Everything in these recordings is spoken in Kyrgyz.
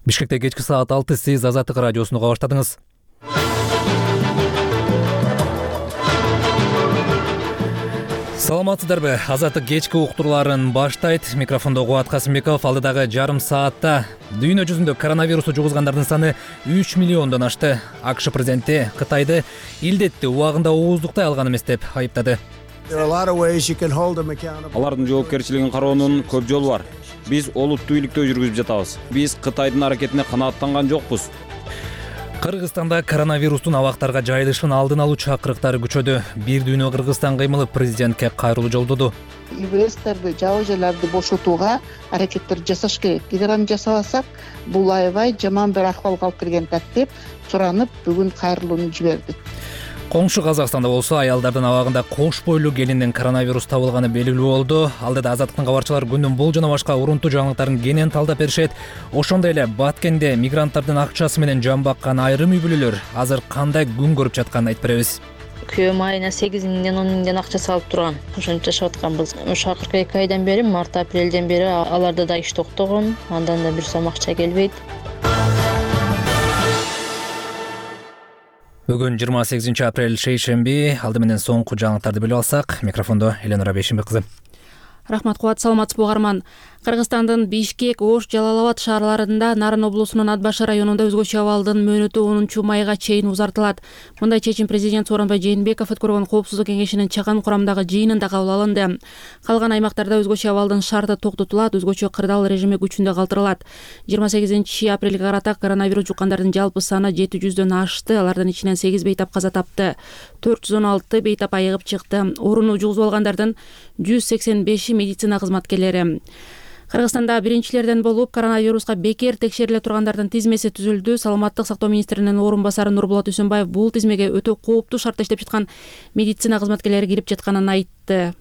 Бишкекте кечки саат 6 сиз Азаттык радиосуну уга баштадыңыз. Саламатсыздарбы? Азаттык кечки уктурууларын баштайт. Микрофондо Кубат Касымбеков. Алдыдагы жарым саатта дүйнө жүзүндө коронавирусту жугузгандардын саны 3 миллиондон ашты. АКШ президенти Кытайды илдетти убагында ооздуктай алган эмес деп айыптады. Алардын жоопкерчилигин кароонун көп жолу бар. Биз олуттуу бийликтөө жүргүзүп жатабыз. Биз Кытайдын аракетине канааттанган жокпуз. Кыргызстанда коронавирустун абактарга жайылышын алдын алуу чакырыктары күчөдү. Бир дүйнө Кыргызстан кыймылы президентке кайрылуу жолдоду. ИВСтерди, жабы жерлерди бошотууга аракеттер жасаш керек. Эгер аны жасабасак, бул аябай жаман бир акыбалга алып келген деп суранып, бүгүн кайрылууну жиберди. Коңшу Казакстанда болсо аялдардын абагында кош бойлуу келиндин коронавирус табылганы белгилүү болду. Алдыда Азаттыктын кабарчылары күндүн бул жана башка урунтуу жаңылыктарын кенен талдап беришет. Ошондой эле Баткенде мигранттардын акчасы менен жан баккан айрым үй бүлөлөр азыр кандай күн көрүп жатканын айтып беребиз. Күйөөм айына 8 миңден 10 миңден акча салып турган. Ошентип жашап атканбыз. Ошо акыркы 2 айдан бери, март-апрелден бери аларда да иш токтогон. Андан да бир сом акча келбейт. Бүгүн 28 апрель шейшемби. Алды менен соңку жаңылыктарды билип алсак, микрофондо Эленора Бейшимбек кызы. Рахмат, Кубат, саламатсызбы угарман. Кыргызстандын Бишкек, Ош, Жалал-Абад шаарларында Нарын облусунун Ат Башы районунда өзгөчө абалдын мөөнөтү 10 майга чейин узартылат. Мындай чечим президент Сооронбай Жээнбеков өткөргөн Коопсуздук кеңешинин чакан курамдагы жыйынында кабыл алынды. Калган аймактарда өзгөчө абалдын шарты токтотулат, өзгөчө кырдаал режими күчүндө калтырылат. 28 апрелге карата коронавирус жуккандардын жалпы саны 700дөн ашты. Алардын ичинен 8 бейтап каза тапты. 416 бейтап айыгып чыкты. Ооруну жугузуп алгандардын 185 медицина кызматкерлери. Кыргызстанда биринчилерден болуп коронавируска бекер текшериле тургандардын тизмеси түзүлдү. Саламаттык сактоо министринин орун басары Нурболот Үсөнбаев бул тизмеге өтө кооптуу шартта иштеп жаткан медицина кызматкерлери кирип жатканын айтты.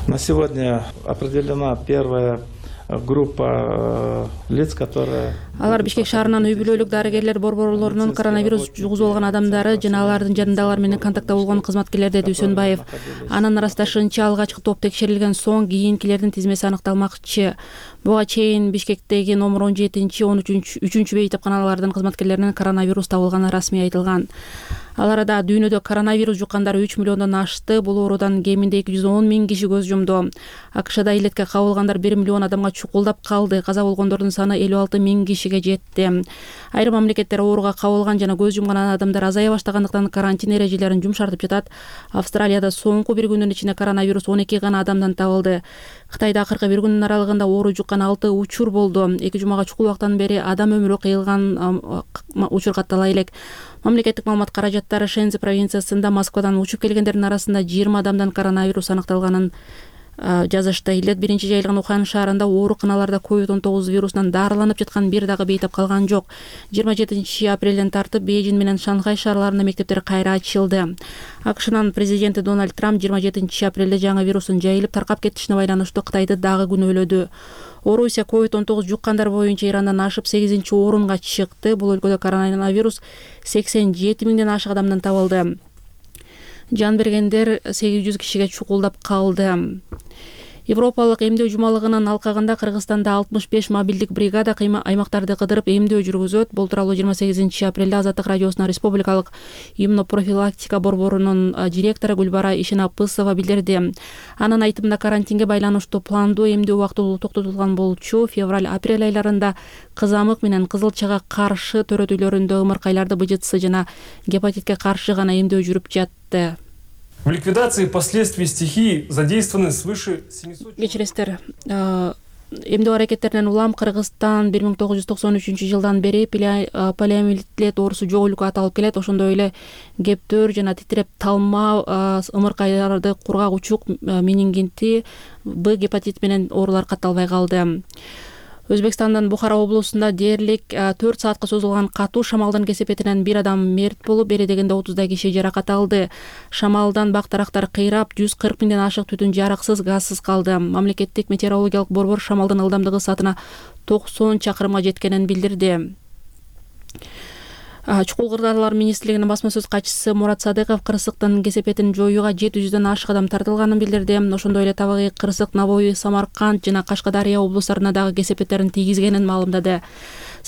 На сегодня определена первая группа лиц, которые... Алар Бишкек шаарынын үй бүлөлүк дарыгерлер борборлорунун коронавирус жугузуп алган адамдары жана алардын жанындагылар менен контактта болгон кызматкерлер, деди Үсөнбаев. Анын ырасташынча алгачкы топ текшерилген соң кийинкилердин тизмеси аныкталмакчы. Буга чейин Бишкектеги номер 17-13 бейтапканалардын кызматкерлеринин коронавирус табылганы расмий айтылган. Ал арада дүйнөдө коронавирус жуккандары 3 миллиондон ашты. Бул оорудан кеминде 210 миң киши көз жумду. АКШда илетке кабылгандар 1 миллион адамга чукулдап калды. Каза болгондордун саны 56 миң кишиге жетти. Айрым мамлекеттер ооруга кабылган жана көз жумган адамдар азая баштагандыктан карантин эрежелерин жумшартып жатат. Австралияда соңку бир күндүн ичинде коронавирус 12 гана адамдан табылды. Кытайда акыркы бир күндүн аралыгында оору жуккан 6 учур болду. 2 жумага чукул убактан бери адам өмүрү кыйылган учур каттала элек. Мамлекеттик маалымат каражаттары Шензи провинциясында Москвадан учуп келгендердин арасында 20 адамдан коронавирус аныкталганын жазышты. Илет биринчи жайылган Ухань шаарында ооруканаларда COVID-19 вирусунан дарыланып жаткан бир дагы бейтап калган жок. 27 апрелден тартып Бейжин менен Шанхай шаарларында мектептер кайра ачылды. АКШнын президенти Дональд Трамп 27 апрелде жаңы вирустун жайылып таркап кетишине байланыштуу Кытайды дагы күнөөлөдү. Орусия COVID-19 жуккандар боюнча Ирандан ашып 8-орунга чыкты. Бул өлкөдө коронавирус 87 миңден ашык адамдан табылды. Жан бергендер 800 кишиге чукулдап калды. Европалык эмдөө жумалыгынын алкагында Кыргызстанда 65 мобилдик бригада аймактарды кыдырып эмдөө жүргүзөт. Бул тууралуу 28 апрелде Азаттык радиосунун республикалык иммунопрофилактика борборунун директору Гүлбара Ишенапысова билдирди. Анын айтымында карантинге байланыштуу пландуу эмдөө убактылуу токтотулган болчу. Февраль-апрель айларында кызамык менен кызылчага каршы төрөтүүлөрүндө ымыркайларды БЖЦ жана гепатитке каршы гана эмдөө жүрүп жатты. В ликвидации последствий стихии задействованы свыше 700... Кечиресиздер, эмдөө аракеттеринен улам Кыргызстан 1993 жылдан бери полиомиелит оорусу жок өлкө аталып келет. Ошондой эле кептөр жана титиреп талма ымыркайларды, кургак учук, менингити, Б гепатит менен оорулар катталбай калды. Өзбекстандын Бухара облусунда дээрлик 4 саатка созулган катуу шамалдын кесепетинен бир адам мерт болуп, бери дегенде 30 киши жаракат алды. Шамалдан бак-тарактар кыйрап, 140 миңден ашык түтүн жараксыз, газсыз калды. Мамлекеттик метеорологиялык борбор шамалдын ылдамдыгы саатына 90 чакырымга жеткенин билдирди. Чукул кырдаалар министрлигинин басма сөз катчысы Мурат Садыков кырсыктын кесепетин жоюуга 700дөн ашык адам тартылганын билдирди. Ошондой эле табигый кырсык Навои, Самарканд жана Кашкадария облустарына дагы кесепеттерин тийгизгенин маалымдады.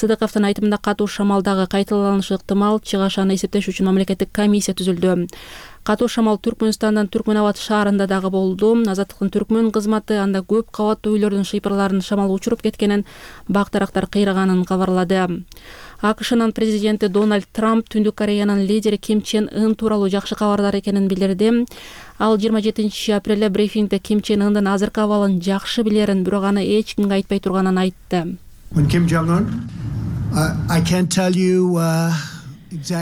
Сыдыковдун айтымында катуу шамалдагы кайталанышы ыктымал, чыгаш аны эсептеш үчүн мамлекеттик комиссия түзүлдү. Катуу шамал Түркмөнстандын Түркмөнабад шаарында дагы болду. Азаттыктын Түркмөн кызматы анда көп кабаттуу үйлөрдүн шыйпырларын шамал учуруп кеткенин, бак тарактар кыйраганын кабарлады. АКШнын президенти Дональд Трамп Түндүк Кореянын лидери Ким Чен Ын тууралуу жакшы кабардар экенин билдирди. Ал 27 апрелде брифингде Ким Чен Ындын азыркы абалын жакшы билерин, бирок аны эч кимге айтпай турганын айтты.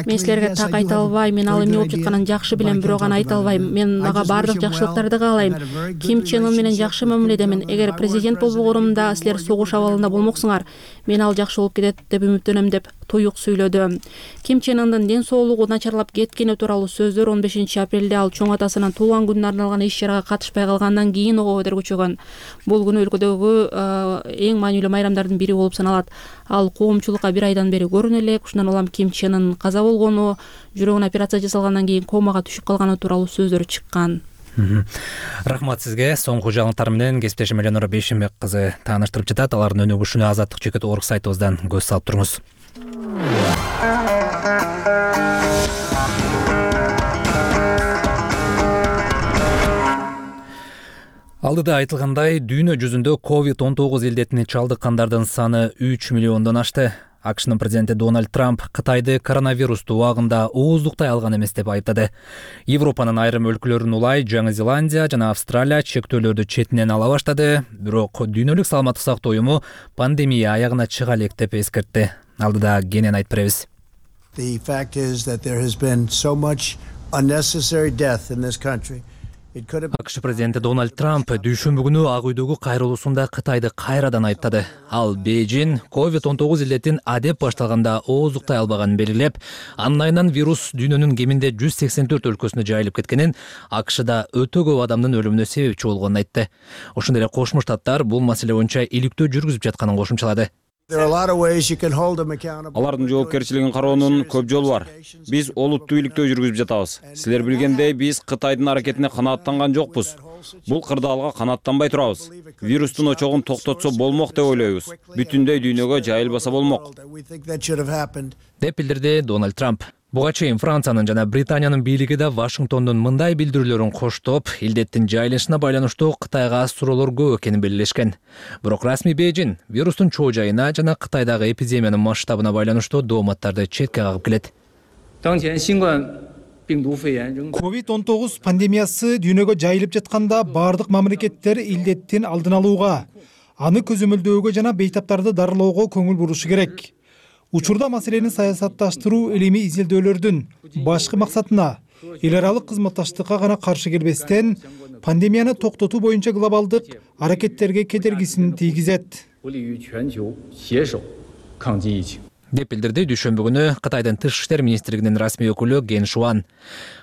Мен силерге так айта албайм, мен ал эмне болуп жатканын жакшы билем, бирок аны айта албайм. Мен ага бардык жакшылыктарды каалайм. Ким Чен Ын менен жакшы мамиледемин. Эгер президент болбогонумда силер согуш абалында болмоксуңар, мен ал жакшы болуп кетет деп үмүттөнөм деп туюк сүйлөдү. Ким Чен Ындын ден соолугу начарлап кеткени тууралуу сөздөр 15 апрелде ал чоң атасынын туулган күнүнө арналган иш-чарага катышпай калгандан кийин ого көтөргүчөгөн. Бул күнү өлкөдөгү эң маанилүү майрамдардын бири болуп саналат. Ал коомчулукка 1 айдан бери көрүнө элек. Ушундан улам Ким Чен Ын каза болгону, жүрөгүнө операция жасалгандан кийин комага түшүп калганы тууралуу сөздөр чыккан. Рахмат сизге. Соңку жаңылыктар менен кесиптешим Эленора Бейшенбек кызы тааныштырып жатат. Алардын өнүгүшүнө azatlyk.org сайтыбыздан көз салып туруңуз. Алдыда айтылгандай, дүйнө жүзүндө COVID-19 илдетине чалдыккандардын саны 3 миллиондон ашты. АКШнын президенти Дональд Трамп Кытайды коронавирусту убагында ооздуктай алган эмес деп айыптады. Европанын айрым өлкөлөрүн улай Жаңы Зеландия жана Австралия чектөөлөрдү четинен ала баштады, бирок дүйнөлүк саламаттык сактоо уюму пандемия аягына чыга элек деп эскертти. Алдыда кенен айтып беребиз. The fact is that there has been so much unnecessary death in this country. АКШ президенти Дональд Трамп дүйшөмбү күнү Ак үйдөгү кайрылуусунда Кытайды кайрадан айыптады. Ал Бейжин COVID-19 илдетин адеп башталганда ооздуктай албаганын белгилеп, анын айынан вирус дүйнөнүн кеминде 184 өлкөсүнө жайылып кеткенин, АКШда өтө көп адамдын өлүмүнө себепчи болгонун айтты. Ошондой эле Кошмо Штаттар бул маселе боюнча иликтөө жүргүзүп жатканын кошумчалады. Алардын жоопкерчилигин кароонун көп жолу бар. Биз олуттуу иликтөө жүргүзүп жатабыз. Силер билгендей, биз Кытайдын аракетине канааттанган жокпуз. Бул кырдаалга канааттанбай турабыз. Вирустун очогун токтотсо болмок деп ойлойбуз. Бүтүндөй дүйнөгө жайылбаса болмок, деп билдирди Дональд Трамп. Буга чейин Франциянын жана Британиянын бийлиги да Вашингтондун мындай билдирүүлөрүн коштоп, илдеттин жайылышына байланыштуу Кытайга суроолор көп экенин белгилешкен. Бирок расмий Бейжин вирустун чоо жайына жана Кытайдагы эпидемиянын масштабына байланыштуу дооматтарды четке кагып келет. COVID-19 пандемиясы дүйнөгө жайылып жатканда бардык мамлекеттер илдеттин алдын алууга, аны көзөмөлдөөгө жана бейтаптарды дарылоого көңүл бурушу керек. Учурда маселени саясатташтыруу илимий изилдөөлөрдүн башкы максатына эл аралык кызматташтыкка гана каршы келбестен, пандемияны токтотуу боюнча глобалдык аракеттерге кедергисин тийгизет, деп билдирди дүйшөмбү күнү Кытайдын тышкы иштер министрлигинин расмий өкүлү Ген Шуан.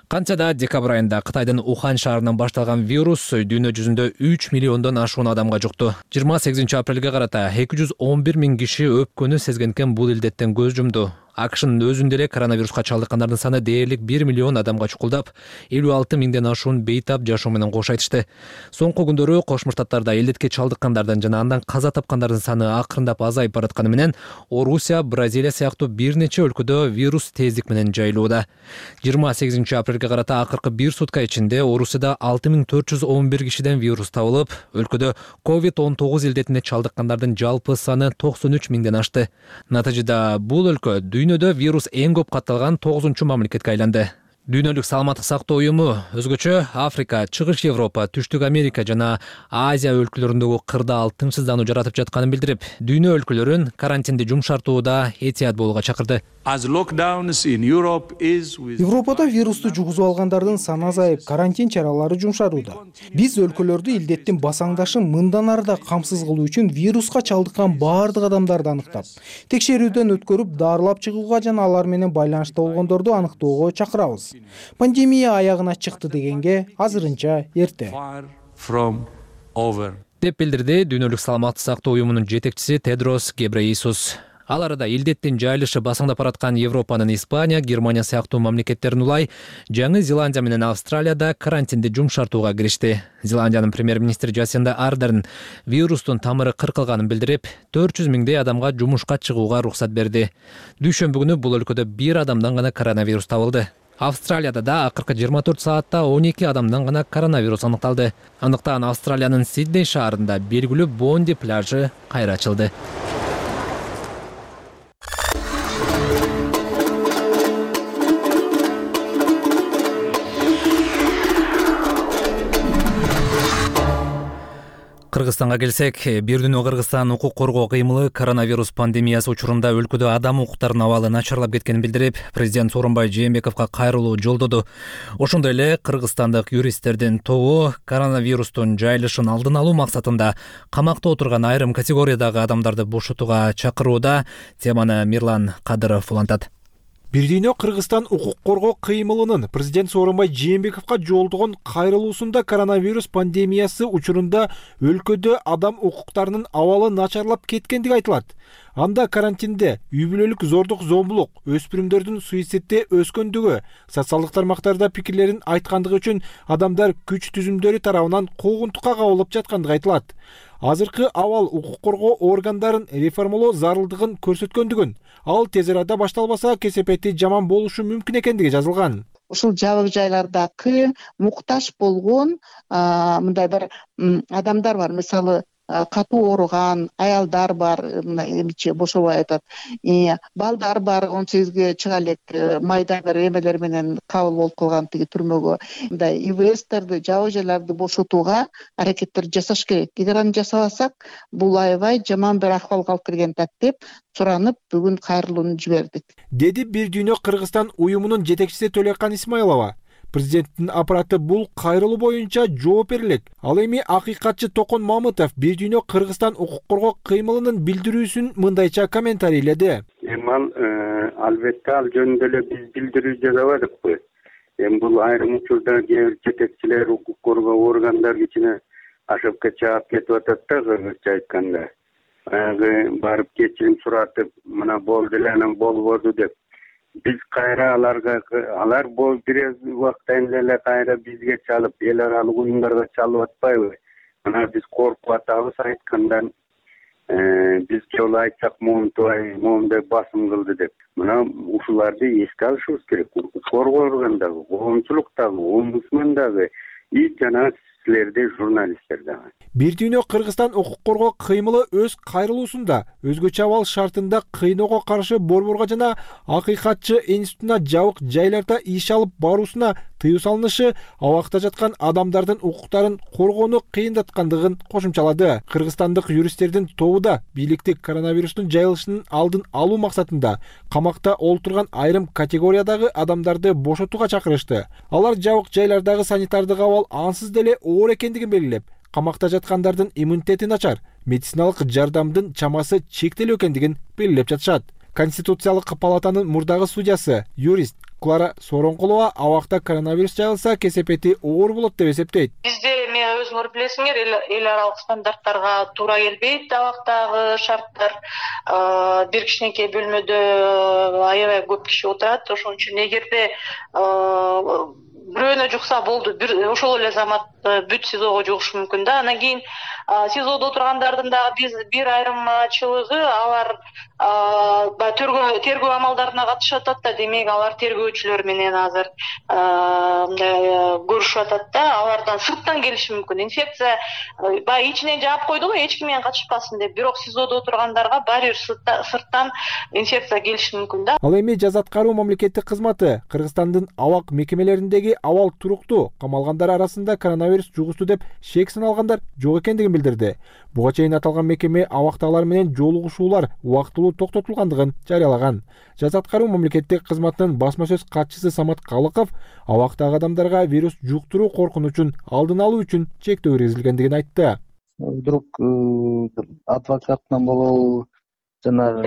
Кантса да декабрь айында Кытайдын Ухан шаарынан башталган вирус дүйнө жүзүндө 3 миллиондон ашуун адамга жукту. 28 апрелге карата 211 миң киши өпкөнү сезгенкен бул илдеттен көз жумду. АКШнын өзүндө эле коронавируска чалдыккандардын саны дээрлик 1 миллион адамга чукулдап, 56 миңден ашуун бейтап жашоо менен кош айтышты. Соңку күндөрү Кошмо Штаттарда илдетке чалдыккандардын жана андан каза тапкандардын саны акырындап азайып баратканы менен, Орусия, Бразилия сыяктуу бир нече өлкөдө вирус тездик менен жайылууда. 28 апрелге карата акыркы 1 сутка ичинде Орусияда 6411 кишиден вирус табылып, өлкөдө COVID-19 илдетине чалдыккандардын жалпы саны 93 миңден ашты. Натыйжада бул өлкө дүйнөдө вирус эң көп катталган 9-чу мамлекетке айланды. Дүйнөлүк саламаттык сактоо уюму өзгөчө Африка, Чыгыш Европа, Түштүк Америка жана Азия өлкөлөрүндөгү кырдаал тынчсыздануу жаратып жатканын билдирип, дүйнө өлкөлөрүн карантинди жумшартууда этият болууга чакырды. Европада вирусту жугузуп алгандардын саны азайып, карантин чаралары жумшарууда. Биз өлкөлөрдү илдеттин басаңдашын мындан ары да камсыз кылуу үчүн вируска чалдыккан бардык адамдарды аныктап, текшерүүдөн өткөрүп, дарылап чыгууга жана алар менен байланышта болгондорду аныктоого чакырабыз. Пандемия аягына чыкты дегенге азырынча эрте, деп билдирди дүйнөлүк саламаттык сактоо уюмунун жетекчиси Тедрос Гебрейесус. Ал арада илдеттин жайылышы басаңдап бараткан Европанын Испания, Германия сыяктуу мамлекеттерин улай, Жаңы Зеландия менен Австралияда карантинди жумшартууга киришти. Зеландиянын премьер-министри Жасинда Ардерн вирустун тамыры кыркылганын билдирип, 400 миңдей адамга жумушка чыгууга уруксат берди. Дүйшөмбү күнү бул өлкөдө 1 адамдан гана коронавирус табылды. Австралияда да акыркы 24 саатта 12 адамдан гана коронавирус аныкталды. Андыктан Австралиянын Сидней шаарында белгилүү Бонди пляжы кайра ачылды. Кыргызстанга келсек, бир дүйнө Кыргызстан укук коргоо кыймылы коронавирус пандемиясы учурунда өлкөдө адам укуктарынын абалы начарлап кеткенин билдирип, президент Сооронбай Жээнбековго кайрылуу жолдоду. Ошондой эле кыргызстандык юристтердин тобу коронавирустун жайылышын алдын алуу максатында камакта отурган айрым категориядагы адамдарды бошотууга чакырууда. Теманы Мирлан Кадыров улантат. Бир дүйнө Кыргызстан укук коргоо кыймылынын президент Сооронбай Жээнбековго жолдогон кайрылуусунда коронавирус пандемиясы учурунда өлкөдө адам укуктарынын абалы начарлап кеткендиги айтылат. Анда карантинде үй бүлөлүк зордук зомбулук, өспүрүмдөрдүн суицидте өскөндүгү, социалдык тармактарда пикирлерин айткандыгы үчүн адамдар күч түзүмдөрү тарабынан куугунтукка кабылып жаткандыгы айтылат. Азыркы абал укук коргоо органдарын реформалоо зарылдыгын көрсөткөндүгүн, ал тез арада башталбаса кесепети жаман болушу мүмкүн экендиги жазылган. Ушул жабык жайлардагы муктаж болгон мындай бир адамдар бар. Мисалы, катуу ооруган аялдар бар, эмче бошобой атат. Балдар бар, 18ге чыга элек майда бир эмелер менен кабыл болуп калган тиги түрмөгө. Мындай ИВСтерди, жабык жайларды бошотууга аракеттер жасаш керек. Эгер аны жасабасак, бул аябай жаман бир акыбалга алып келгенин деп суранып, бүгүн кайрылууну жибердик. Деди Бир дүйнө Кыргызстан уюмунун жетекчиси Төлөкан Исмаилова. Президенттин аппараты бул кайрылуу боюнча жооп берилет. Ал эми акыйкатчы Токон Мамытов Бир дүйнө Кыргызстан укук коргоо кыймылынын билдирүүсүн мындайча комментарийледи. Албетте ал жөнүндө эле биз билдирүү жасабадыкпы. Бул айрым учурда жетекчилер укук коргоо органдар ичине ашыпка чаап кетип атат да, кыргызча айтканда. Барып кечирим суратып, мына болду эле, анан болбоду деп. Биз кайра алар бир убактан эле кайра бизге чалып, эл аралык уюмдарга чалып атпайбы? Мына биз коркуп атабыз айткандан, бизге ол айтсак моундай басым кылды деп. Мына ушуларды эске алышыбыз керек. Укук коргоо органдагы, коомчулуктагы, омбудсмандагы жана силерде журналисттер дагы. Бир дүйнө Кыргызстан укук коргоо кыймылы өз кайрылуусунда өзгөчө абал шартында кыйноого каршы борборго жана акыйкатчы институтуна жабык жайларда иш алып баруусуна тыюу салынышы абакта жаткан адамдардын укуктарын коргоону кыйындаткандыгын кошумчалады. Кыргызстандык юристтердин тобу да бийликти коронавирустун жайылышынын алдын алуу максатында камакта олтурган айрым категориядагы адамдарды бошотууга чакырышты. Алар жабык жайлардагы санитардык абал ансыз деле оор экендигин белгилеп, камакта жаткандардын иммунитети начар, медициналык жардамдын чамасы чектелүү экендигин белгилеп жатышат. Конституциялык палатанын мурдагы судьясы, юрист Клара Сооронкулова абакта коронавирус жайылса кесепети оор болот деп эсептейт. Бизде өзүңөр билесиңер, эл аралык стандарттарга туура келбейт абактагы шарттар. Бир кичинекей бөлмөдө аябай көп киши отурат. Ошон үчүн эгерде бирөөнө жукса болду, ошол эле замат бүт СИЗОго жугушу мүмкүн да. Анан кийин СИЗОдо отургандардын дагы бир айрымчылыгы алар тергөө амалдарына катышып атат да, демек алар тергөөчүлөр менен азыр көрүшүп атат да, алардан сырттан келиши мүмкүн. Инфекция баягы ичинен жаап койду го, эч ким менен катышпасын деп, бирок СИЗОдо отургандарга баары бир сырттан инфекция келиши мүмкүн да. Ал эми жаза аткаруу мамлекеттик кызматы Кыргызстандын абак мекемелериндеги абал туруктуу, камалгандар арасында коронавирус жугушту деп шек саналгандар жок экендигин билдирди. Буга чейин аталган мекеме абактагылар менен жолугушуулар убактылуу токтотулгандыгын жарыялаган. Жаза аткаруу мамлекеттик кызматынын басма сөз катчысы Самат Калыков абактагы адамдарга вирус жуктуруу коркунучун алдын алуу үчүн чектөө киргизилгендигин айтты. Вдруг адвокаттан болобу жана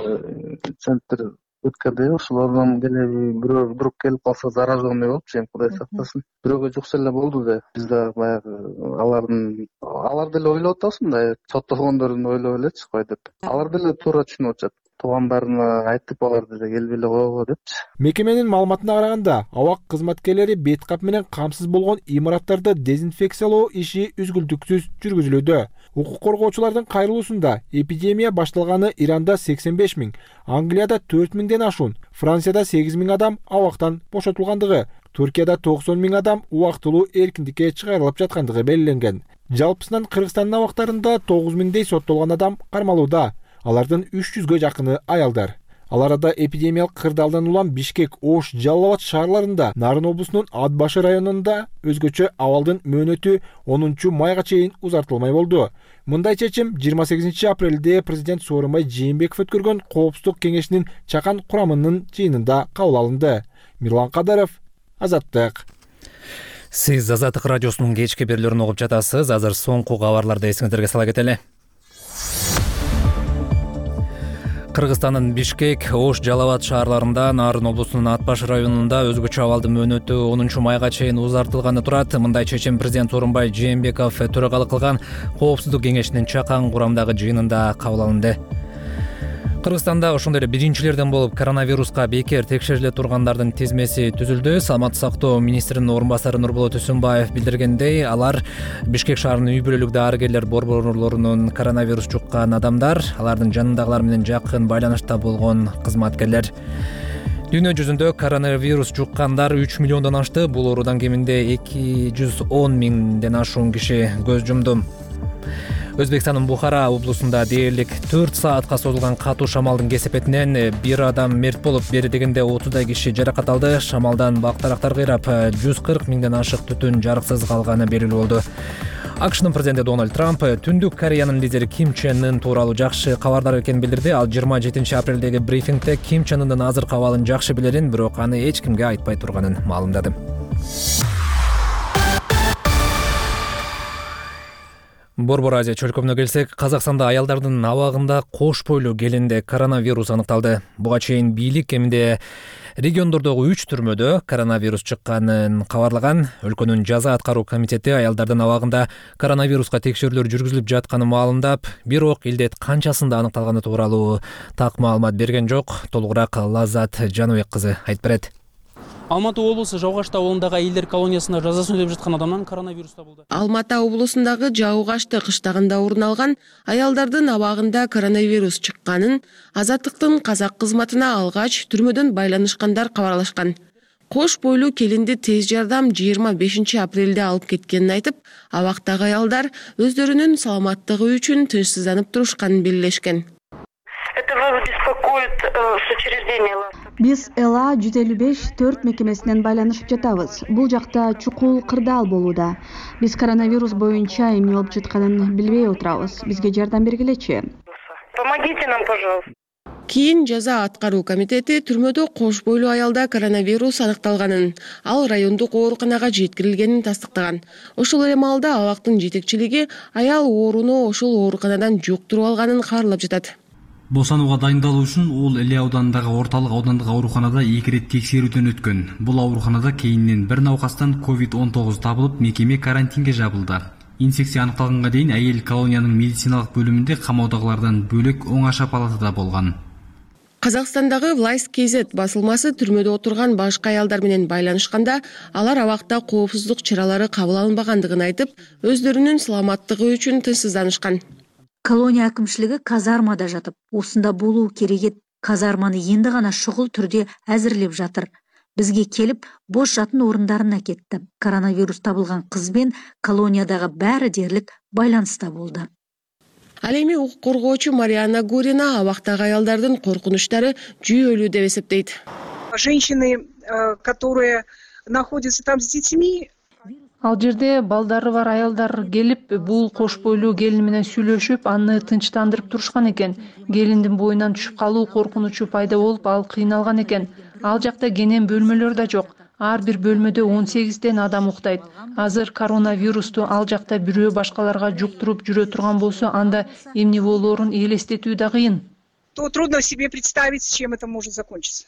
центр өткөрдү, ошолордон деле бирөө вдруг келип калса зараженный болуп, Кудай сактасын. Бирөөгө жукса эле болду да. Биз да баягы алар деле ойлоп атабыз, мындай соттолгондорун ойлоп элечи кой деп. Алар деле туура түшүнүп атышат. туугандарына айтып аларды да келбей эле койгула депчи. Мекеменин маалыматына караганда, абак кызматкерлери бет кап менен камсыз болгон имараттарды дезинфекциялоо иши үзгүлтүксүз жүргүзүлүүдө. Укук коргоочулардын кайрылуусунда эпидемия башталганы Иранда 85 000, Англияда 4 000ден ашуун, Францияда 8 000 адам абактан бошотулгандыгы, Түркияда 90 000 адам убактылуу эркиндикке чыгарылып жаткандыгы белгиленген. Жалпысынан Кыргызстандын абактарында 9 000дей соттолгон адам кармалууда. Алардын 300гө жакыны аялдар. Ал арада эпидемиялык кырдаалдан улам Бишкек, Ош, Жалал Абад шаарларында, Нарын облусунун Ат Башы районунда өзгөчө абалдын мөөнөтү 10 майга чейин узартылмай болду. Мындай чечим 28 апрелде президент Сооронбай Жээнбеков өткөргөн Коопсуздук кеңешинин чакан курамынын жыйынында кабыл алынды. Мирлан Кадаров, Азаттык. Сиз Азаттык радиосунун кечки берүүлөрүн угуп жатасыз. Азыр соңку кабарларды эсиңиздерге сала кетели. Кыргызстандын Бишкек, Ош, Жалал Абад шаарларында, Нарын облусунун Ат Башы районунда өзгөчө абалдын мөөнөтү 10 майга чейин узартылганы турат. Мындай чечим президент Сооронбай Жээнбеков төрагалык кылган Коопсуздук кеңешинин чакан курамдагы жыйынында кабыл алынды. Кыргызстанда ошондой эле биринчилерден болуп коронавируска бекер текшериле тургандардын тизмеси түзүлдү. Саламаттык сактоо министринин орун басары Нурболот Үсүнбаев билдиргендей, алар Бишкек шаарынын үй бүлөлүк дарыгерлер борборлорунун коронавирус жуккан адамдар, алардын жанындагылар менен жакын байланышта болгон кызматкерлер. Дүйнө жүзүндө коронавирус жуккандар 3 миллиондон ашты. Бул оорудан кеминде 210 000ден ашуун киши көз жумду. Өзбекстандын Бухара облусунда дээрлик 4 саатка созулган катуу шамалдын кесепетинен бир адам мерт болуп, бери дегенде 30 киши жаракат алды. Шамалдан бактарактар кыйрап, 140 000ден ашык түтүн жарыксыз калганы белгилүү болду. АКШнын президенти Дональд Трамп Түндүк Кореянын лидери Ким Чен Ын тууралуу жакшы кабардар экенин билдирди. Ал 27 апрелдеги брифингде Ким Чен Ындын азыркы абалын жакшы билерин, бирок аны эч кимге айтпай турганын маалымдады. Борбор Азия чөлкөмүнө келсек, Казакстанда аялдардын абагында кош бойлуу келинде коронавирус аныкталды. Буга чейин бийлик кеминде региондордогу 3 түрмөдө коронавирус чыкканын кабарлаган. Өлкөнүн жаза аткаруу комитети аялдардын абагында коронавируска текшерүүлөр жүргүзүлүп жатканын маалымдап, бирок илдет канчасында аныкталганы тууралуу так маалымат берген жок. Толугураак Лаззат Жаныбек кызы айтып берет. Алматы облысы Жаугашты ауылындагы әйелдер колониясында жазасын өтөп жаткан адамдан коронавирус табылды. Алматы облусундагы Жаугашты кыштагында орун алган аялдардын абагында коронавирус чыкканын Азаттыктын казак кызматына алгач түрмөдөн байланышкандар кабарлашкан. Кош бойлуу келинди тез жардам 25 апрелде алып кеткенин айтып, абактагы аялдар өздөрүнүн саламаттыгы үчүн тынчсызданып турушканын белгилешкен. Биз ЭЛА 155-4 мекемесинен байланышып жатабыз. Бул жакта чукул кырдаал болууда. Биз коронавирус боюнча эмне болуп жатканын билбей отурабыз. Бизге жардам бергилечи. Помогите нам, пожалуйста. Кийин жаза аткаруу комитети түрмөдө кош бойлуу аялда коронавирус аныкталганын, ал райондук ооруканага жеткирилгенин тастыктаган. Ошол эле маалда абактын жетекчилиги аял ооруну ошол ооруканадан жуктуруп алганын кабарлап жатат. Босанууга дайындалуу үчүн ол Эле ауданындагы орталык аудандык ооруканада 2 рет текшерүүдөн өткөн. Бул ооруканада кейинен бир науқастан COVID-19 табылып, мекеме карантинге жабылды. Инфекция аныкталганга дейин айыл колониянын медициналык бөлүмүндө камаудагылардан бөлөк оңаша палатада болгон. Казакстандагы Власть KZ басылмасы түрмөдө отурган башка аялдар менен байланышканда, алар абакта коопсуздук чаралары кабыл алынбагандыгын айтып, өздөрүнүн саламаттыгы үчүн тынчсызданышкан. Колония акимчилиги казармада жатып, усунда болуу керек. Казарманы энди гана шугул түрдө азырлеп жатыр. Бизге келип, бош жатын орундарына кетти. Коронавирус табылган кыз бен колониядагы баары дерлик байланыста болду. Ал эми укук коргоочу Марианна Гурина абактагы аялдардын коркунучтары жүйөлүү деп эсептейт. Женщины, которые находятся там с детьми, ал жерде балдары бар аялдар келип, бул кош бойлуу келин менен сүйлөшүп, аны тынчтандырып турушкан экен. Келиндин боюнан түшүп калуу коркунучу пайда болуп, ал кыйналган экен. Ал жакта кенен бөлмөлөр да жок. Ар бир бөлмөдө 18 адам уктайт. Азыр коронавирусту ал жакта бирөө башкаларга жуктуруп жүрө турган болсо, анда эмне болоорун элестетүү да кыйын. То трудно себе представить, с чем это может закончиться.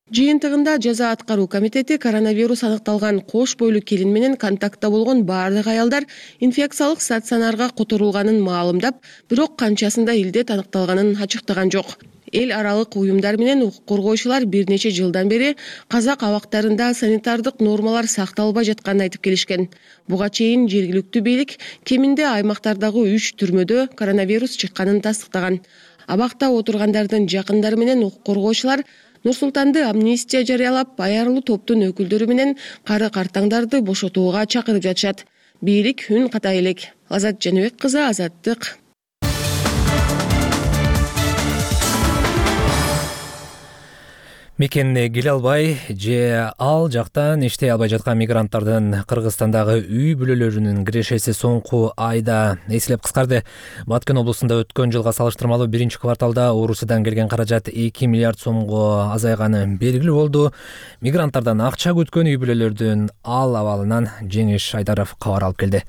Жыйынтыгында жаза аткаруу комитети коронавирус аныкталган кош бойлуу келин менен контактта болгон баардык аялдар инфекциялык стационарга которулганын маалымдап, бирок канчасында илдет аныкталганын ачыктаган жок. Эл аралык уюмдар менен укук коргоочулар бир нече жылдан бери казак абактарында санитардык нормалар сакталбай жатканын айтып келишкен. Буга чейин жергиликтүү бийлик кеминде аймактардагы 3 түрмөдө коронавирус чыкканын тастыктаган. Абакта отургандардын жакындары менен укук коргоочулар Нур-Султанды амнистия жарыялап, аярлуу топтун өкүлдөрү менен кары картаңдарды бошотууга чакырып жатышат. Бийлик үн ката элек. Азат Жаныбек кызы, Азаттык. Мекенine келе албай же ал жактан иштей албай жаткан мигранттардын Кыргызстандагы үй бүлөлөрүнүн кирешеси соңку айда эселеп кыскарды. Баткен облусунда өткөн жылга салыштырмалуу биринчи кварталда Орусиядан келген каражат 2 миллиард сомго азайганы белгилүү болду. Мигранттардан акча күткөн үй бүлөлөрдүн ал абалынан Жеңиш Айдаров кабар алып келди.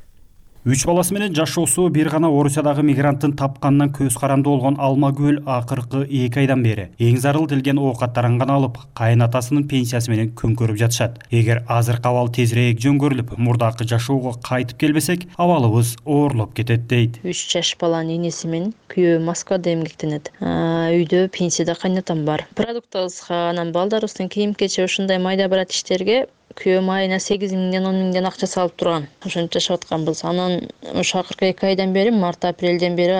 3 баласы менен жашоосу бир гана Орусиядагы мигранттын тапканынан көз каранды болгон Алмагүл акыркы 2 айдан бери эң зарыл келген оокаттарын гана алып, кайнатасынын пенсиясы менен көңкөрүп жатышат. Эгер азыркы абал тезирээк жөнгөрүлүп, мурдакы жашоого кайтып келбесек, абалыбыз оорлоп кетет дейт. 3 жаш баланын энеси менен күйөө Москвада эмгектенет. Үйдө пенсияда кайнатам бар. Продуктыбызга, анан балдарыбыздын кийим-кечи ушундай майда барат иштерге күйөөм айына 8 миңден 10 миңден акча салып турган. Ошончо жашап атканбыз. Анан ошо акыркы 2 айдан бери, март-апрелден бери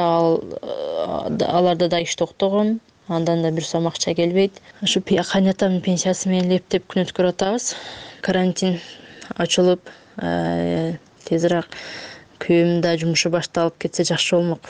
аларда да иш токтогон. Андан да бир сом акча келбейт. Ошо кайнатамдын пенсиясы менен лептеп күн өткөрүп атабыз. Карантин ачылып, тезирээк күйөөм да жумушу башталып кетсе жакшы болмок.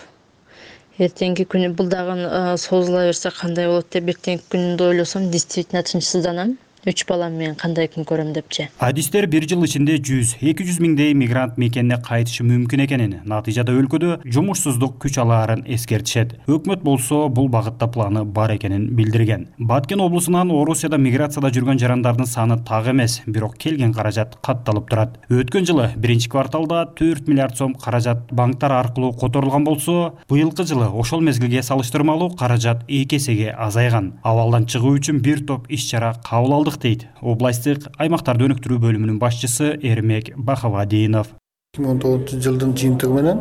Эртеңки күнү бул дагы созула берсе кандай болот деп эртеңки күнүндө ойлосом, действительно тынчсызданам. 3 балам менен кандай күн көрөм депчи. Адистер бир жыл ичинде 100-200 миңдей мигрант мекенине кайтышы мүмкүн экенин, натыйжада өлкөдө жумушсуздук күч алаарын эскертишет. Өкмөт болсо бул багытта планы бар экенин билдирген. Баткен облусунан Орусияда миграцияда жүргөн жарандардын саны так эмес, бирок келген каражат катталып турат. Өткөн жылы биринчи кварталда 4 миллиард сом каражат банктар аркылуу которулган болсо, быйылкы жылы ошол мезгилге салыштырмалуу каражат 2 эсеге азайган. Абалдан чыгуу үчүн бир топ иш-чара кабыл алдык дейт областтык аймактарды өнүктүрүү бөлүмүнүн башчысы Эрмек Бахавадинов. 2019 жылдын жыйынтыгы менен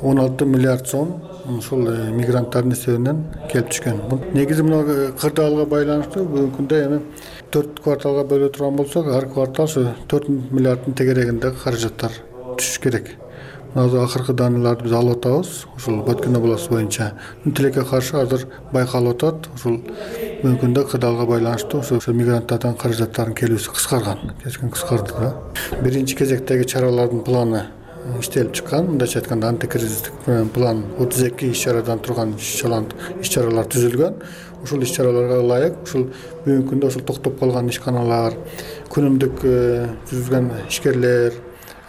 16 миллиард сом ушул мигранттардын эсебинен келип түшкөн. Негизи мына кырдаалга байланыштуу бүгүнкү күндө эми 4 кварталга бөлө турган болсок, ар квартал ушу 4 миллиарддын тегерегинде каражаттар түшүш керек. Азыр акыркы даныларды биз алып атабыз. Ушул Баткен областы боюнча тилекке каршы азыр байкалып атат. Ушул мүмкүндө кырдаалга байланыштуу ошо мигранттардан каражаттардын келүүсү кыскарган. Кечкен кыскарды да. Биринчи кезектеги чаралардын планы иштелип чыккан. Мындайча айтканда антикризистик план 32 иш-чарадан турган иш-чаралар түзүлгөн. Ушул иш-чараларга ылайык ушул бүгүнкү күндө ушул токтоп калган ишканалар, күнүмдүк жүзгөн ишкерлер,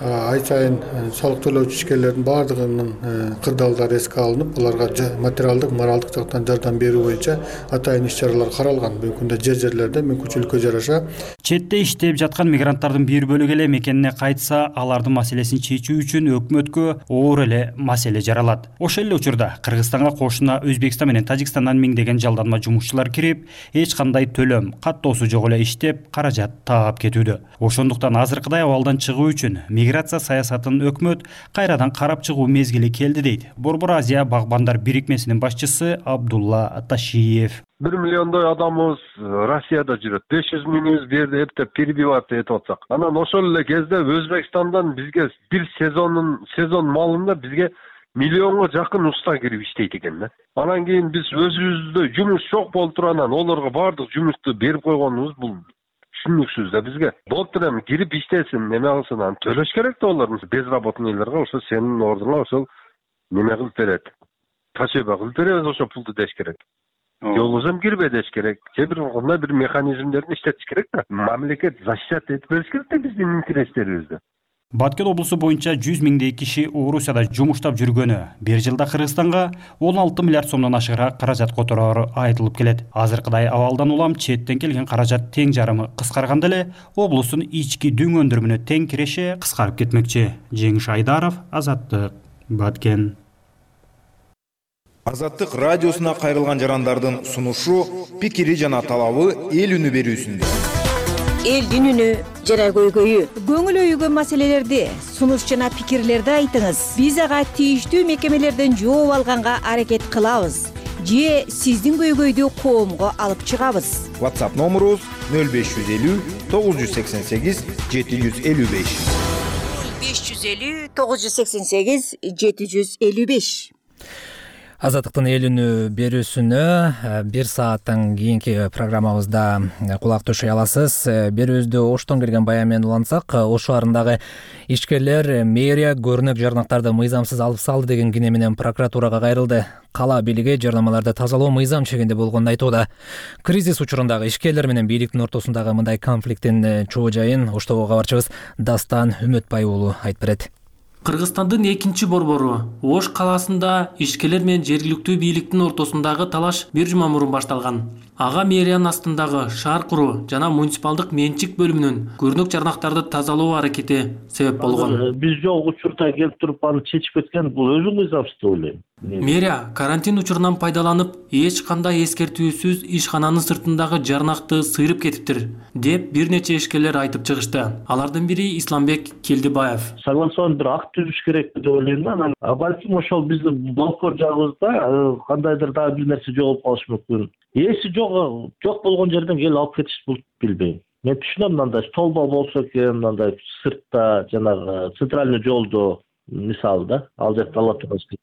ай сайын салык төлөөчү ишкерлердин баардыгынын кырдаалдары эске алынып, аларга материалдык, моралдык жактан жардам берүү боюнча атайын иш-чаралар каралган. Бүгүнкү күндө жерлерде мүмкүнчүлүккө жараша четте иштеп жаткан мигранттардын бир бөлүгү эле мекенине кайтса, алардын маселесин чечүү үчүн өкмөткө оор эле маселе жаралат. Ошол эле учурда Кыргызстанга кошуна Өзбекстан менен Тажикстандан миңдеген жалданма жумушчулар кирип, эч кандай төлөм, каттоосу жок эле иштеп, каражат таап кетүүдө. Ошондуктан азыркыдай абалдан чыгуу үчүн миграция саясатын өкмөт кайрадан карап чыгуу мезгили келди дейт Борбор Азия багбандар бирикмесинин башчысы Абдулла Ташиев. 1 миллиондой адамыбыз Россияда жүрөт. 500 миңибиз бу жерде эптеп перебиваться этип атсак. Анан ошол эле кезде Өзбекстандан бизге бир сезон малында бизге миллионго жакын уста кирип иштейт экен да. Анан кийин биз өзүбүздө жумуш жок болуп тургандан олорго баардык жумушту берип койгонубуз бул түшүнүксүз да бизге. Болуптур эми кирип иштесин, неме кылсын, анан төлөш керек да олар. Безработныйларга ошо сенин ордуңа ошол неме кылып берет. Тачеба кылып беребиз ошо пулду деш керек. Жолгузам кирбе деш керек. Же бир кандай бир механизмдерди иштетиш керек да. Мамлекет защита этип бериш керек да биздин интерестерибизди. Баткен облусу боюнча 100 миңдей киши Орусияда жумуштап жүргөнү, бир жылда Кыргызстанга 16 миллиард сомдон ашыгыраак каражат котороору айтылып келет. Азыркыдай абалдан улам четтен келген каражат тең жарымы кыскарганда эле облустун ички дүң өндүрүмүнө тең киреше кыскарып кетмекчи. Жеңиш Айдаров, Азаттык, Баткен. Азаттык радиосуна кайрылган жарандардын сунушу, пикири жана талабы эл үнү берүүсүндө. Элдин үнү жана көйгөйү. Көңүл өйгөн маселелерди, сунуш жана пикирлерди айтыңыз. Биз ага тийиштүү мекемелерден жооп алганга аракет кылабыз. же сиздин көйгөйдү коомго алып чыгабыз. WhatsApp номерубуз 0550 988 755. 550 988 755. Азаттыктын эл үнү берүүсүнө 1 сааттан кийинки программабызда кулак төшөй аласыз. Берүүбүздү Оштон келген баян менен улантсак, Ош шаарындагы ишкерлер мэрия көрүнөк жарнактарды мыйзамсыз алып салды деген кине менен прокуратурага кайрылды. Кала бийлиги жарнамаларды тазалоо мыйзам чегинде болгонун айтууда. Кризис учурундагы ишкерлер менен бийликтин ортосундагы мындай конфликттин чоо жайын Оштогу кабарчыбыз Дастан Үмөтбай уулу айтып берет. Кыргызстандын экинчи борбору Ош калаасында ишкерлер менен жергиликтүү бийликтин ортосундагы талаш бир жума мурун башталган. Ага мэриянын астындагы шаар куруу жана муниципалдык менчик бөлүмүнүн көрүнөк жарнактарды тазалоо аракети себеп болгон. Биз жол учурда келип туруп аны чечип кеткен, бул өзү мыйзамсыз деп ойлойм. Мэрия карантин учурунан пайдаланып, эч кандай эскертүүсүз ишкананын сыртындагы жарнакты сыйрып кетиптир деп бир нече ишкерлер айтып чыгышты. Алардын бири Исламбек Келдибаев. Согласован бир акт түзүш керек деп ойлойм да. Балким ошол биздин балкон жагыбызда кандайдыр дагы бир нерсе жоголуп калышы мүмкүн. Эси жок болгон жерден келип алып кетиш бул билбейм. Мен түшүнөм, мындай столба болсо экен, мындай сыртта жанагы центральный жолдо мисалы да, ал жерде ала турасыз.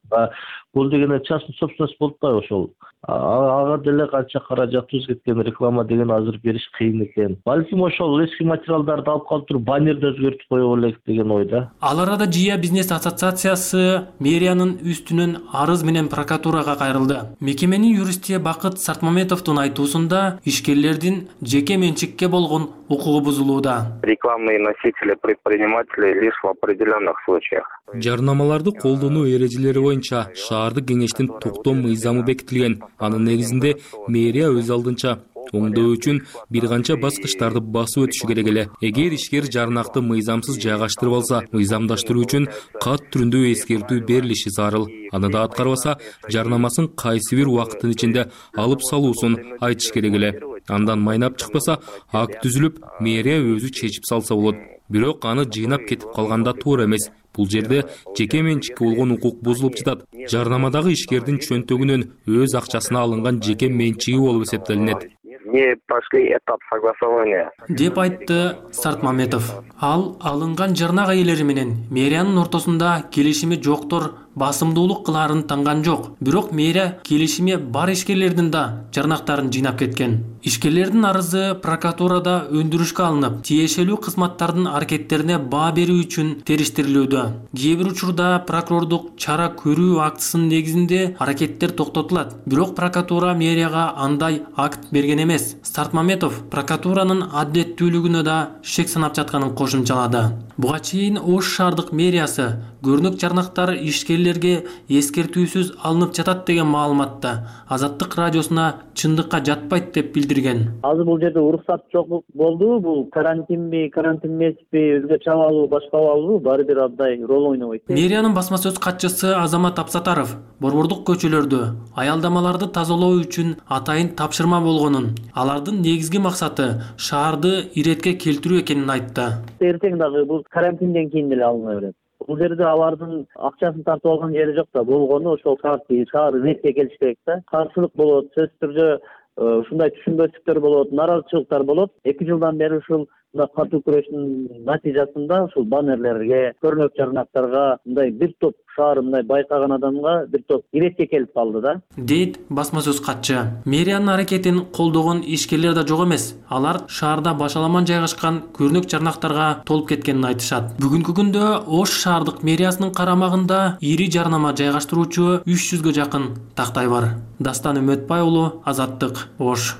Бул деген частный собственность болуп атпайбы ошол. Ага деле канча каражатыбыз кеткен, реклама деген азыр бериш кыйын экен. Балким ошол эски материалдарды алып калып туруп баннерди өзгөртүп коё элек деген ойда. Ал арада Жия бизнес ассоциациясы мэриянын үстүнөн арыз менен прокуратурага кайрылды. Мекеменин юристи Бакыт Сартмаметовдун айтуусунда ишкерлердин жеке менчикке болгон укугу бузулууда. Рекламные носители предприниматели лишь в определенных случаях. Жарнамаларды колдонуу эрежелери боюнча шаардык кеңештин токтоо мыйзамы бекитилген. Анын негизинде мэрия өз алдынча оңдоо үчүн бир канча баскычтарды басып өтүшү керек эле. Эгер ишкер жарнакты мыйзамсыз жайгаштырып алса, мыйзамдаштыруу үчүн кат түрүндө эскертүү берилиши зарыл. Аны да аткарбаса, жарнамасын кайсы бир убакыттын ичинде алып салуусун айтыш керек эле. Андан майнап чыкпаса, акт түзүлүп, мэрия өзү чечип салса болот. Бирок аны жыйнап кетип калганда туура эмес. Бул жерде жеке менчикке болгон укук бузулуп жатат. Жарнамадагы ишкердин чөнтөгүнөн өз акчасына алынган жеке менчиги болуп эсептелинет. Не прошли этап согласования. Деп айтты Сартмаметов. Ал алынган жарнак ээлери менен мэриянын ортосунда келишими жоктор басымдуулук кылаарын танган жок. Бирок мэрия келишими бар ишкерлердин да жарнактарын жыйнап кеткен. Ишкерлердин арызы прокуратурада өндүрүшкө алынып, тиешелүү кызматтардын аракеттерине баа берүү үчүн териштирилүүдө. Кээ бир учурда прокурордук чара көрүү актысынын негизинде аракеттер токтотулат. Бирок прокуратура мэрияга андай акт берген эмес. Сартмаметов прокуратуранын адилеттүүлүгүнө да шек санап жатканын кошумчалады. Буга чейин Ош шаардык мэриясы көрүнөк жарнактар ишкерлерге эскертүүсүз алынып жатат деген маалыматты Азаттык радиосуна чындыкка жатпайт деп билдирген. Азыр бул жерде уруксат жок болду, бул карантинби, карантин эмеспи, өзгөчө абалбы, башка абалбы, баары бир абдай роль ойнобойт. Мэриянын басма сөз катчысы Азамат Апсатаров борбордук көчөлөрдө аялдамаларды тазалоо үчүн атайын тапшырма болгонун, алардын негизги максаты шаарды иретке келтирүү экенин айтты. Эртең дагы бул карантинден кийин деле алына берет. Бул жерде алардын акчасын тартып алган жери жок да, болгону ошол шаар иретке келиш керек да. Каршылык болот, сөзсүз түрдө ушундай түшүнбөстүктөр болот, нааразычылыктар болот. 2 жылдан бери ушул катуу күрөштүн натыйжасында ушул баннерлерге, көрүнөк жарнактарга мындай бир топ шаар мындай байкаган адамга бир топ иретке келип калды да. Дейт басма сөз катчы. Мэриянын аракетин колдогон ишкерлер да жок эмес. Алар шаарда башаламан жайгашкан көрүнөк жарнактарга толуп кеткенин айтышат. Бүгүнкү күндө Ош шаардык мэриясынын карамагында ири жарнама жайгаштыруучу 300гө жакын тактай бар. Дастан Үмөтбай уулу, Азаттык, Ош.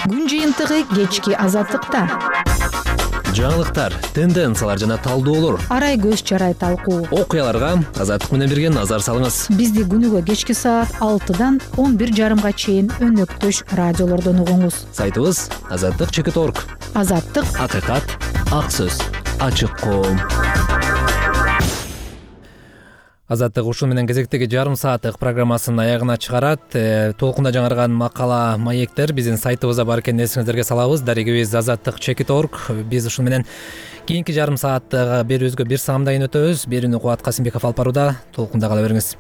Күн жыйынтыгы кечки Азаттыкта. Жаңылыктар, тенденциялар жана талдоолор, Арай көз чарай талкуу. Окуяларга Азаттык менен бирге назар салыңыз. Бизди күнүгө кечки саат 6-дан 11:30 чейин өнөктөш радиолордон угуңуз. Сайтыбыз azattik.org. Азаттык, акыйкат, ак сөз, ачык коом. Азаттык ушул менен кезектеги жарым сааттык программасынын аягына чыгарат. Толкунда жаңырган макала, маектер биздин сайтыбызда бар экенин эсиңиздерге салабыз. Дарегибиз azattik.org. Биз ушул менен кийинки жарым сааттагы берүүбүзгө бир саамдайын өтөбүз. Берүүнү Кубат Касымбеков алып барууда. Толкунда кала бериңиз.